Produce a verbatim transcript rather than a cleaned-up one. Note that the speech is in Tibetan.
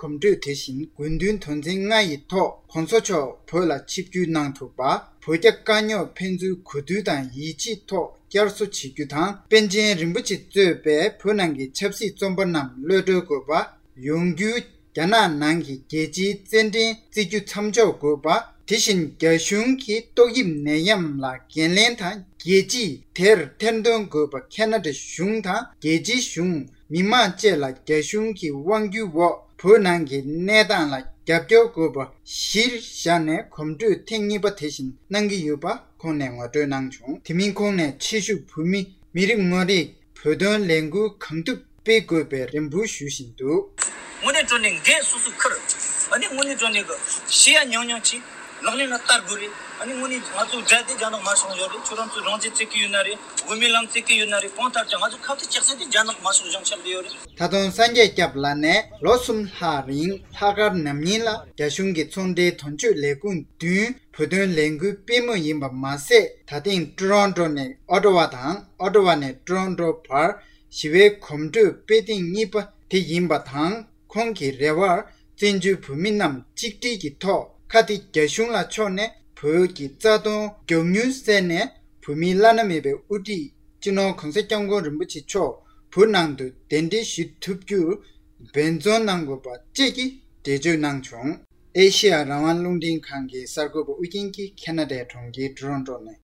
གོམ་བགྲོད་དེ་བཞིན་དགོས་འདུན་དོན་ཚན་ལྔ་ཡི་ཐོག་༸གོང་ས་མཆོག་བོད་ལ་ཆིབས་བསྒྱུར་གནང་ཐུབ་པ། བོད་རྒྱ་དཀའ་རྙོག་ཕན་ཚུན་གོ་བསྡུར་དང་ཡིད་ཆེས་ཐོག་བསྐྱར་གསོ་བྱེད་རྒྱུ་དང་། པཎ་ཆེན་རིན་པོ་ཆེ་གཙོས་པའི་བོད་ནང་གི་ཆབ་སྲིད་བཙོན་པ་རྣམས་གློད་གྲོལ་དགོས་པ། ཡོང་རྒྱུའི་རྒྱ་ནག་ནང་གི་རྒྱལ་སྤྱིའི་རྩེད་འགྲན་བརྩི་རྒྱུ་མཚམས་འཇོག་དགོས་པ། དེ་བཞིན་རྒྱ་གཞུང་གི་ཏོག་དབྱིབས་ནད་ཡམས་ལ་འགན་ལེན་དང་རྒྱལ་སྤྱིས་དེར་ཐེར་འདོན་དགོས་པ། ཁེ་ན་ཌ་གཞུང་དང་རྒྱལ་སྤྱིའི་གཞུང་། མི་མང་བཅས་ལ་རྒྱ་གཞུང་གི་དབང་སྒྱུར་འོག་བོད་ནང་གི་གནས་སྟངས་ལ་རྒྱབ་སྐྱོར་དགོས་པ་གཞིར་བཞག་ནས་གོམ་བགྲོད་ཐེངས་གཉིས་པ་དེ་བཞིན་གནང་གི་ཡོད་པ་ཁོང་ནས་ངོ་སྤྲོད་གནང་བྱུང་། དེ་མིན་ཁོང་ནས་ཆེད་ཞུགས་བོད་མི་མི་རེ་ངོ་རེས་བོད་དོན་ལས་འགུལ་གང་ཐུབ་སྤེལ་དགོས་པའི་རེ་འབོད་ཞུ་བཞིན་འདུག། དངོས་གནས་དྲང་གནས་འགན་སོ་སོས་འཁུར། ཨ་ནི་དངོས་གནས་དྲང་གནས་ཀྱི་ཤེས་ཡ་ཉུང་ཉུང་ཅིག་ལག་ལེན་ལ་བསྟར་དགོས་རེད། ཨ་ནི་དངོས་གནས་ང་ཚོ་དགྲ་དེ་རྒྱ་ནག་དམར་ཤོག་ཡོད་རེད། ཁྱོད་རང་ཚོས་རང་བཙན་རྩོད་ཀྱི་ཡོད་ན་རེད། དབུ་མའི་ལམ་རྩོད་ཀྱི་ཡོད་ན་རེད། གང་ལྟར་ཀྱང་ང་ཚོ་ཁ་གཏད་གཅོག་ས་དེ་རྒྱ་ནག་དམར་ཤོག་གཞུང་ཆགས་བསྡད་ཡོད་རེད། ད་དུང་སངས་རྒྱས་སྐྱབས་ལགས་ནས་ལོ་གསུམ་ལྷག་རིང་ལྷག་དཀར་ནམ་ཉིན་ལ་རྒྱ་གཞུང་གི་ཚོང་འབྲེལ་དོན་གཅོད་ལས་ཁུངས་བདུན་བོད་དོན་ལས་འགུལ་སྤེལ་མུས་ཡིན་པ་མ་ཟད། ད་ཐེངས་ཀྲོ་རོན་ཀྲོ་ནས་ཨོ་ཊ་ཝ་དང་ཨོ་ཊ་ཝ་ནས་ཀྲོ་རོན་ཀྲོ་བར་ཞི་བའི་གོམ་བགྲོད་སྤེལ་ཐེངས་གཉིས་པ་དེ་ཡིན་པ་དང་། ཁོང་གི་རེ་བར་བཙན་བྱོལ་བོད་མི་རྣམས་གཅིག་སྒྲིལ་གྱི་ཐོག་ཁ་གཏད་རྒྱ་གཞུང་ལ་ཕྱོགས་ནས་བོད་ཀྱི་རྩ་དོན་མགྱོགས་མྱུར་གསལ་ནས་བོད་མིའི་བླ་ན་མེད་པའི་དབུ་ཁྲིད་སྤྱི་ནོར་༸གོང་ས་༸སྐྱབས་མགོན་རིན་པོ་ཆེ་མཆོག་བོད་ནང་དུ་གདན་འདྲེན་ཞུ་ཐུབ་རྒྱུར་འབད་བརྩོན་གནང་དགོས་པ་བཅས་ཀྱི་འགྲེལ་བརྗོད་གནང་བྱུང་། ཨེ་ཤེ་ཡ་རང་དབང་རླུང་འཕྲིན་ཁང་གི་གསར་འགོད་པ་ཨུ་རྒྱན་གྱིས་ཁེ་ན་ཌའི་གྲོང་ཁྱེར་ཀྲོ་རོན་ཀྲོ་ནས།